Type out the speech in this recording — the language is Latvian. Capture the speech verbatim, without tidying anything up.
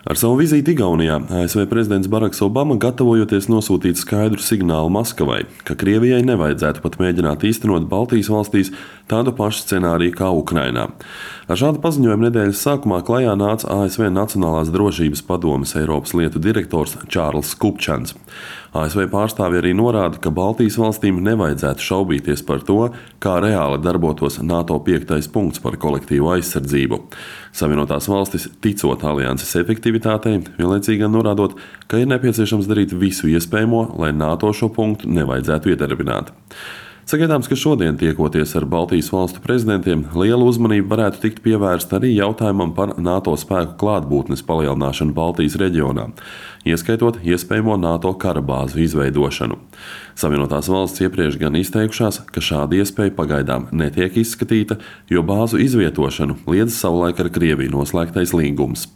Ar savu vizīti Igaunijā A S V prezidents Baraks Obama gatavojoties nosūtīt skaidru signālu Maskavai, ka Krievijai nevajadzētu pat mēģināt īstenot Baltijas valstīs tādu pašu scenāriju kā Ukrainā. Ar šādu paziņojumu nedēļas sākumā klajā nāca A S V Nacionālās drošības padomes Eiropas lietu direktors Čārls Kupčans. A S V pārstāvji arī norāda, ka Baltijas valstīm nevajadzētu šaubīties par to, kā reāli darbotos NATO piektais punkts par kolektīvu aizsardzību. Savienotās valstis, ticot alianses efektivitātei, vienlaicīgi norādot, ka ir nepieciešams darīt visu iespējamo, lai NATO šo punktu nevajadzētu iedarbināt. Sagaidāms, ka šodien tiekoties ar Baltijas valstu prezidentiem, liela uzmanība varētu tikt pievērsta arī jautājumam par NATO spēku klātbūtnes palielināšanu Baltijas reģionā, ieskaitot iespējamo NATO karabāzu izveidošanu. Savienotās valsts iepriekš gan izteikušās, ka šāda iespēja pagaidām netiek izskatīta, jo bāzu izvietošanu liedz savulaik ar Krieviju noslēgtais līgums.